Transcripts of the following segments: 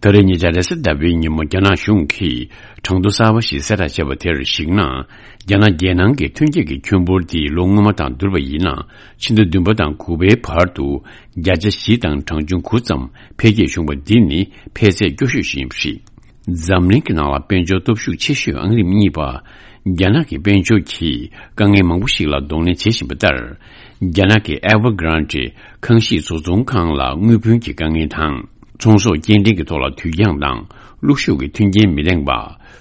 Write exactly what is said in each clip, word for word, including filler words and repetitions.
ད་རེས་ཉེ་ཆར་རེས་གཟའ་ཟླ་བའི་ཉིན་མོ་རྒྱ་ནག་གཞུང་གིས་གྲངས་ཐོ་གསར་པ་ཞིག་གསལ་བསྒྲགས་བྱས་པ་དེར་གཞིགས་ན། རྒྱ་ནག་རྒྱལ་ནང་གི་ཐོན་སྐྱེད་ཀྱི་ཁྱོན་འབོར་དེ་ལོ་སྔོན་མ་དང་བསྡུར་བ་ཡིན་ན། ཕྱི་ཟླ་བདུན་པ་དང་དགུ་པའི་བར་དུ་བརྒྱ་ཆ་བཞི་དང་གྲངས་ཆུང་དགུ་ཙམ་འཕེལ་རྒྱས་བྱུང་བ་འདི་ནི་འཕེལ་ཚད་སྐྱོ་ཤོས་ཤིག་ཡིན་པ་རེད། འཛམ་གླིང་གི་ནང་ལ་དཔལ་འབྱོར་སྟོབས་ཤུགས་ཆེ་ཤོས་ཨང་རིམ་གཉིས་པ་རྒྱ་ནག་གི་དཔལ་འབྱོར་གྱིས་དཀའ་ངལ་མང་པོ་ཞིག་ལ་གདོང་ལེན་བྱེད་བཞིན་པ་ལྟར། རྒྱ་ནག་གི་Evergrande ཁང་ཞིག་བཟོ་ཚོང་ཁང་ལ་དངུལ་བུན་གྱི་དཀའ་ངལ་དང་། ཚོང་ཟོག་སྐྱེལ་འདྲེན་གྱི་ཐོག་ལ་དུས་འགྱངས་དང་གློག་ཤུགས་ཀྱི་མཐུན་རྐྱེན་མི་ལྡན་པ།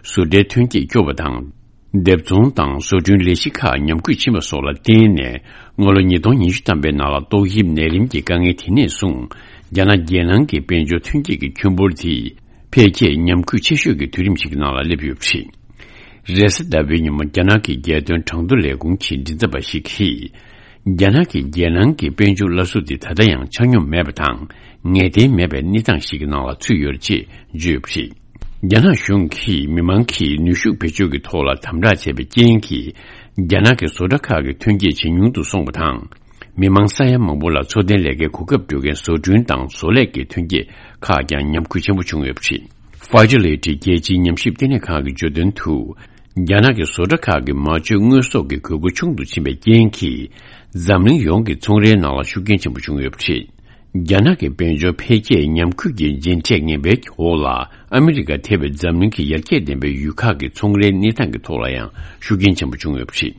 བཟོ་གྲྭའི་ཐོན་སྐྱེད་སྐྱོ་བ་དང་། སྡེབ་ཚོང་དང་བཟོ་སྐྲུན་ལས་གཞི་ཁག་ཉམས་རྒུད་ཕྱིན་པ་སོགས་ལ་བརྟེན་ནས། སྔ་ལོ་ཉིས་སྟོང་ཉི་ཤུ་ཐམ་པའི་ནང་ལ་ཏོག་དབྱིབས་ནད་རིམས་ཀྱི་དཀའ་ངལ་དེ་ནས་བཟུང་། རྒྱ་ནག་རྒྱལ་ནང་གི་དཔལ་འབྱོར་ཐོན་སྐྱེད་ཀྱི་ཁྱོན་འབོར་དེ། འཕེལ་རྒྱས་ཉམས་རྒུད་ཆེ་ཤོས་ཀྱི་དུས་རིམ་ཞིག་གི་ནང་ལ་སླེབས་ཡོད་པ་རེད། རེས་གཟའ་ཟླ་བའི་ཉིན་མོ་རྒྱ་ནག་གི་རྒྱལ་དོན་གྲངས་ཐོ་ལས་ཁུངས་ཀྱི་མགྲིན་ཚབ་པ་ཞིག་གིས། རྒྱ་ནག་གི་རྒྱལ་ནང་གི་དཔལ་འབྱོར་སླར་གསོ་དེ་ད་ལྟ་ཡང་ཆ་སྙོམས་མེད་པ་དང་ངེས་གཏན་མེད་པའི་གནས་སྟངས་ཤིག་གི་ནང་ལ་ཚུད་ཡོད་ཅེས་བརྗོད་པ་རེད། རྒྱ་ནག་གཞུང་གིས་མི་མང་གིས་ནུས་ཤུགས་བེད་སྤྱོད་ཀྱི་ཐོག་ལ་དམ་དྲག་བྱས་པའི་རྐྱེན་གྱིས། རྒྱ་ནག་གི་བཟོ་གྲྭ་ཁག་གི་ཐོན་སྐྱེད་ཇེ་ཉུང་དུ་སོང་བ་དང་། མི་མང་ས་ཡ་མང་པོ་ལ་འཚོ་རྟེན་ལས་ཀའི་གོ་སྐབས་སྤྲོད་མཁན་བཟོ་སྐྲུན་དང་བཟོ་ལས་ཀྱི་ཐོན་སྐྱེད་ཁག་ཀྱང་ཉམས་རྒུད་ཆེན་པོ་བྱུང་ཡོད་པ་རེད། Fragility རྒྱལ་སྤྱིའི་ཉམས་ཞིབ་ལྟེ་གནས་ཁང་གིས་བརྗོད་དོན་དུ། རྒྱ་ནག་གི་བཟོ་གྲྭ་ཁག་གི་མ་བཅོས་དངོས་ཟོག་གི་དགོས་མཁོ་ཆུང་དུ་ཕྱིན་པའི་རྐྱེན་གྱིས། འཛམ་གླིང་ཡོངས་ཀྱི་ཚོང་རའི་ནང་ལ་ཤུགས་རྐྱེན་ཆེན་པོ་བྱུང་ཡོད་པ་རེད། རྒྱ་ནག་གི་དཔལ་འབྱོར་འཕེལ་རྒྱས་ཉམས་རྒུད་ཀྱི་རྗེས་འབྲས་ངན་པའི་འོག་ལ། ཨ་མི་རི་ཀ་ཐེ་བའི་འཛམ་གླིང་གི་ཡར་རྒྱས་ལྡན་པའི་ཡུལ་ཁག་གི་ཚོང་རའི་གནས་སྟངས་ཀྱི་ཐོག་ལ་ཡང་ཤུགས་རྐྱེན་ཆེན་པོ་བྱུང་ཡོད་པ་རེད།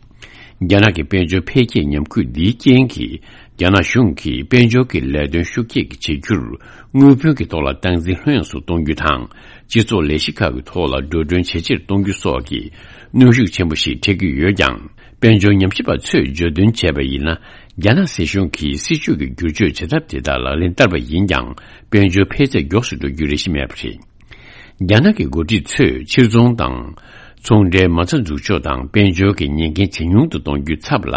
རྒྱ་ནག་གི་དཔལ་འབྱོར་འཕེལ་རྒྱས་ཉམས་རྒུད་འདིའི་རྐྱེན་གྱིས། རྒྱ་ནག་གཞུང་གིས་དཔལ་འབྱོར་གྱི་ལས་དོན་ཤུགས་སྐྱེད་ཀྱི་བྱེད་རྒྱུར། དངུལ་བུན་གྱི་ཐོག་ལ་སྟངས་འཛིན་ལྷོད་ཡངས་སུ་གཏོང་རྒྱུ་དང་། སྤྱི་ཚོགས་ལས་གཞི་ཁག་གི་ཐོག་ལ་འགྲོ་གྲོན་ཇེ་ཆེར་གཏོང་རྒྱུ་སོགས་ཀྱི་གནོན་ཤུགས་ཆེན་པོ་ཞིག་འཕྲད་ཀྱི་ཡོད་ཀྱང་། དཔལ་འབྱོར་ཉམས་ཞིབ་པ་ཚོས་བརྗོད་དོན་བྱས་པ་ཡིན་ན། རྒྱ་ནག་སྲིད་གཞུང་གིས་སྲིད་ཇུས་ཀྱི་བསྒྱུར་བཅོས་བྱེད་ཐབས་དེ་དག་ལག་ལེན་བསྟར་བ་ཡིན་ཀྱང་། དཔལ་འབྱོར་འཕེལ་ཚད་མགྱོགས་སུ་འགྲོ་རྒྱུའི་རེ་ཞིག་མེད་པ་རེད། རྒྱ་ནག་གི་འགོ་ཁྲིད་ཚོས་ཕྱིར་ཚོང་དང་། ཚོང་འབྲེལ་མ་རྩ་འཛུགས་ཕྱོགས་དང་དཔལ་འབྱོར་གྱི་ཉེན་འགན་ཇེ་ཉུང་དུ་གཏོང་རྒྱུའི་ཚབ་ལ།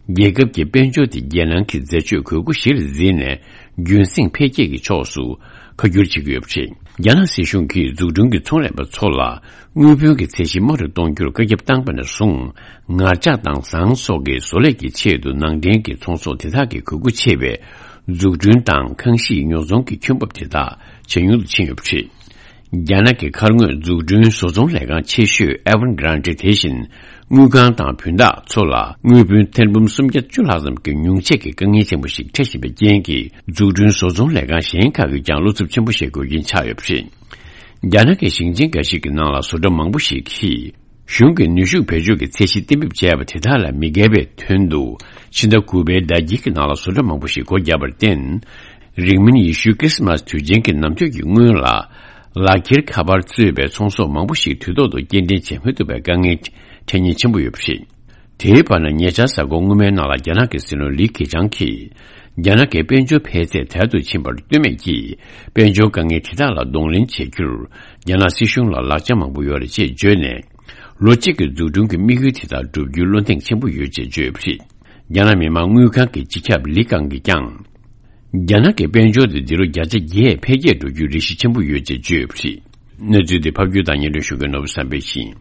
རྒྱལ་ཁབ་ཀྱི་དཔལ་འབྱོར་དེ་རྒྱལ་ནང་གི་འཛད་སྤྱོད་དགོས་མཁོ་གཞིར་འཛིན་ནས། རྒྱུན་སྲིང་འཕེལ་རྒྱས་ཀྱི་ཕྱོགས་སུ་ཁ་བསྒྱུར་བྱེད་ཀྱི་ཡོད་པ་རེད། རྒྱ་ནག་སྲིད་གཞུང་གིས་འཛུགས་སྐྲུན་གྱི་ཚོང་ལས་པ་ཚོ་ལ། དངུལ་བུན་གྱི་ཚད་གཞི་དམའ་རུ་གཏོང་རྒྱུར་བཀའ་ཁྱབ་བཏང་པ་ནས་བཟུང་། ངར་ལྕགས་དང་ཟངས་སོགས་ཀྱི་བཟོ་ལས་ཀྱི་ཆེད་དུ་ནང་འདྲེན་གྱི་ཚོང་ཟོག་དེ་དག་གི་དགོས་མཁོ་ཆེ་བའི། འཛུགས་སྐྲུན་དང་ཁང་གཞིས་ཉོ་ཚོང་གི་ཁྱོན་འབབ་དེ་དག་ཇེ་ཉུང་དུ་ཕྱིན་ཡོད་པ་རེད། རྒྱ་ནག་གི་མཁར་དངོས་འཛུགས་སྐྲུན་བཟོ་ཚོང་ལས་ཁང་ཆེ་ཤོས་Evergrande དེ་བཞིན། དངུལ་ཁང་དང་བུན་བདག་ཚོ་ལ་དངུལ་བུན་ཐེར་འབུམ་སུམ་བརྒྱ་བཅུ་ལྷག་ཙམ་གྱི་ཉུང་ཆད་ཀྱི་དཀའ་ངལ་ཆེན་པོ་ཞིག་འཕྲད་བཞིན་པའི་རྐྱེན་གྱིས། འཛུགས་སྐྲུན་བཟོ་ཚོང་ལས་ཁང་གཞན་ཁག་གིས་ཀྱང་བློ་འཚབ་ཆེན་པོ་བྱེད་དགོས་རྐྱེན་ཆགས་ཡོད་པ་རེད། རྒྱ་ནག་གི་ཞིང་ཆེན་འགའ་ཞིག་གི་ནང་ལ་བཟོ་གྲྭ་མང་པོ་ཞིག་གིས། གཞུང་གི་ནུས་ཤུགས་བེད་སྤྱོད་ཀྱི་ཚད་གཞི་གཏན་འབེབས་བྱས་པ་དེ་དག་ལ་མི་འགལ་བའི་དོན་དུ། ཕྱི་ཟླ་དགུ་པའི་ཟླ་དཀྱིལ་གྱི་ནང་ལ་བཟོ་གྲྭ་མང་པོ་ཞིག་སྒོ་བརྒྱབ་པར་བརྟེན། རིང་མིན་ཡེ་ཤུའི་ཁྲི་སི་མཱས་དུས་ཆེན་གྱི་ནམ་ཐོས་ཀྱི་སྔོན་ལ། ལག་འཁྱེར་ཁ་པར་གཙོས་པའི་ཚོང་ཟོག་མང་པོ་ཞིག་དུས་ཐོག་ཏུ་སྐྱེལ་འདྲེན་བྱེད་མི་ཐུབ་པའི་དཀའ་ངལ་འཕྲད་ཉེན་ཆེན་པོ་ཡོད་པ་རེད། དེའི་བར་ན། ཉེ་ཆར་གཟའ་འཁོར་སྔོན་མའི་ནང་ལ་རྒྱ་ནག་གི་སྲིད་བློན་ལི་ཁེ་ཆང་གིས། རྒྱ་ནག་གི་དཔལ་འབྱོར་འཕེལ་ཚད་དལ་དུ་ཕྱིན་པར་ལྟོས་མེད་ཀྱིས། དཔལ་འབྱོར་དཀའ་ངལ་དེ་དག་ལ་གདོང་ལེན་བྱེད་རྒྱུར། རྒྱ་ནག་སྲིད་གཞུང་ལ་ལག་ཆ་མང་པོ་ཡོད་རེད་ཅེས་བརྗོད་ནས། ལོ་གཅིག་གི་འཛུགས་སྐྲུན་གྱི་དམིགས་ཡུལ་དེ་དག་བསྒྲུབ་རྒྱུའི་བློ་གདེང་ཆེན་པོ་ཡོད་ཅེས་བརྗོད་ཡོད་པ་རེད། རྒྱ་ནག་མི་དམངས་དངུལ་ཁང་གི་སྤྱི་ཁྱབ་ལི་ཀང་གིས་ཀྱང་། རྒྱ་ནག་གི་དཔལ་འབྱོར་དེ་འདི་ལོ་བརྒྱ་ཆ་བརྒྱད་འཕེལ་རྒྱས་འགྲོ་རྒྱུའི་རེ་གཞི་ཆེན་པོ་ཡོད་ཅེས་བརྗོད་ཡོད་པ་རེད། གནས་ཚུལ་འདི་ཕབ་སྒྱུར་དང་སྙན་སྒྲོན་ཞུ་མཁན་ནོར་བུ་བསམ་འཕེལ་ཡིན།